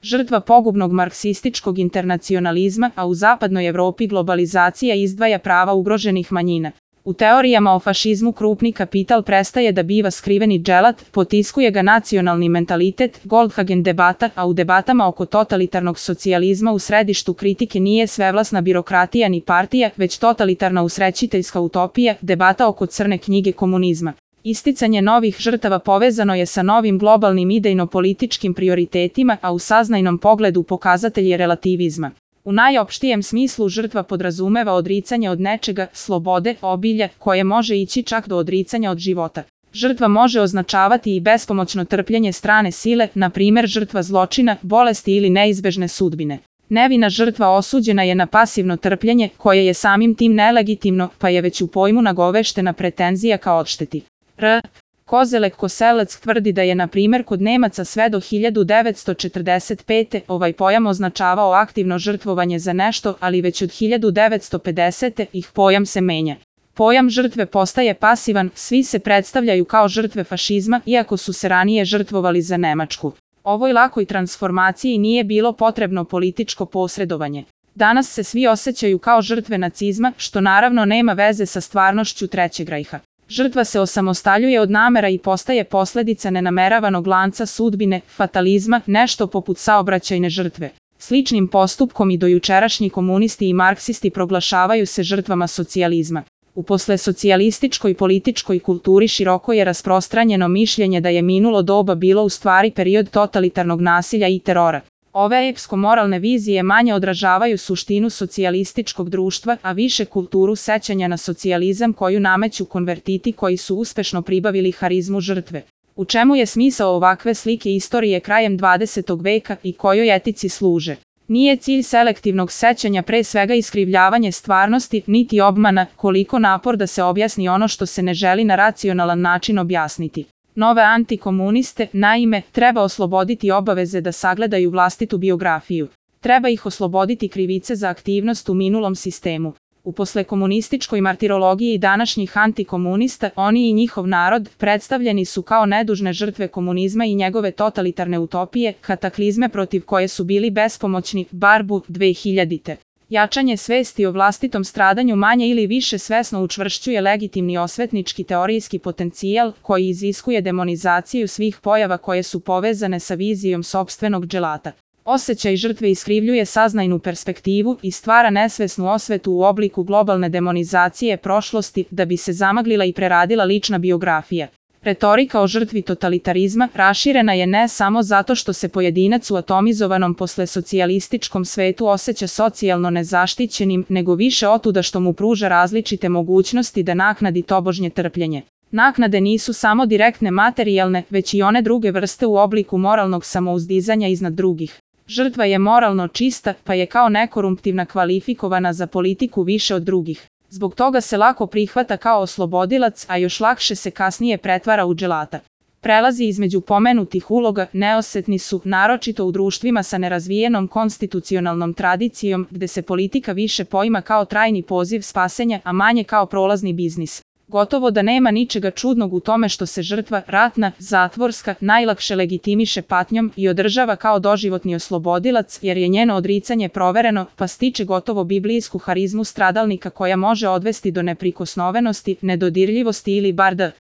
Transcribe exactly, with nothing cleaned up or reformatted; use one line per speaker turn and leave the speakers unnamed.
žrtva pogubnog marksističkog internacionalizma, a u zapadnoj Evropi globalizacija izdvaja prava ugroženih manjina. U teorijama o fašizmu krupni kapital prestaje da biva skriveni dželat, potiskuje ga nacionalni mentalitet, Goldhagen debata, a u debatama oko totalitarnog socijalizma u središtu kritike nije svevlasna birokratija ni partija, već totalitarna usrećiteljska utopija, debata oko crne knjige komunizma. Isticanje novih žrtava povezano je sa novim globalnim idejno-političkim prioritetima, a u saznajnom pogledu pokazatelj je relativizma. U najopštijem smislu žrtva podrazumeva odricanje od nečega, slobode, obilja, koje može ići čak do odricanja od života. Žrtva može označavati i bespomoćno trpljenje strane sile, na primjer žrtva zločina, bolesti ili neizbežne sudbine. Nevina žrtva osuđena je na pasivno trpljenje, koje je samim tim nelegitimno, pa je već u pojmu nagoveštena pretenzija ka odšteti. R. Kozelek Koselac tvrdi da je na primjer kod Nemaca sve do hiljadu devetsto četrdeset pete ovaj pojam označavao aktivno žrtvovanje za nešto, ali već od hiljadu devetsto pedesete ih pojam se menja. Pojam žrtve postaje pasivan, svi se predstavljaju kao žrtve fašizma, iako su se ranije žrtvovali za Nemačku. Ovoj lakoj transformaciji nije bilo potrebno političko posredovanje. Danas se svi osjećaju kao žrtve nacizma, što naravno nema veze sa stvarnošću Trećeg rajha. Žrtva se osamostaljuje od namera i postaje posljedica nenameravanog lanca sudbine, fatalizma, nešto poput saobraćajne žrtve. Sličnim postupkom i dojučerašnji komunisti i marksisti proglašavaju se žrtvama socijalizma. U poslesocijalističkoj političkoj kulturi široko je rasprostranjeno mišljenje da je minulo doba bilo u stvari period totalitarnog nasilja i terora. Ove epsko-moralne vizije manje odražavaju suštinu socijalističkog društva, a više kulturu sećanja na socijalizam koju nameću konvertiti koji su uspešno pribavili harizmu žrtve. U čemu je smisao ovakve slike istorije krajem dvadesetog veka i kojoj etici služe? Nije cilj selektivnog sećanja pre svega iskrivljavanje stvarnosti, niti obmana, koliko napor da se objasni ono što se ne želi na racionalan način objasniti. Nove antikomuniste, naime, treba osloboditi obaveze da sagledaju vlastitu biografiju. Treba ih osloboditi krivice za aktivnost u minulom sistemu. U poslekomunističkoj martirologiji današnjih antikomunista, oni i njihov narod predstavljeni su kao nedužne žrtve komunizma i njegove totalitarne utopije, kataklizme protiv koje su bili bespomoćni, barbu dve hiljadite. Jačanje svesti o vlastitom stradanju manje ili više svesno učvršćuje legitimni osvetnički teorijski potencijal koji iziskuje demonizaciju svih pojava koje su povezane sa vizijom sopstvenog dželata. Osjećaj žrtve iskrivljuje saznajnu perspektivu i stvara nesvesnu osvetu u obliku globalne demonizacije prošlosti da bi se zamaglila i preradila lična biografija. Retorika o žrtvi totalitarizma raširena je ne samo zato što se pojedinac u atomizovanom poslesocijalističkom svetu osjeća socijalno nezaštićenim, nego više otuda što mu pruža različite mogućnosti da naknadi tobožnje trpljenje. Naknade nisu samo direktne materijalne, već i one druge vrste u obliku moralnog samouzdizanja iznad drugih. Žrtva je moralno čista, pa je kao nekorumptivna kvalifikovana za politiku više od drugih. Zbog toga se lako prihvata kao oslobodilac, a još lakše se kasnije pretvara u dželata. Prelazi između pomenutih uloga neosetni su, naročito u društvima sa nerazvijenom konstitucionalnom tradicijom, gde se politika više poima kao trajni poziv spasenja, a manje kao prolazni biznis. Gotovo da nema ničega čudnog u tome što se žrtva, ratna, zatvorska, najlakše legitimiše patnjom i održava kao doživotni oslobodilac, jer je njeno odricanje provereno, pa stiče gotovo biblijsku harizmu stradalnika koja može odvesti do neprikosnovenosti, nedodirljivosti ili bar da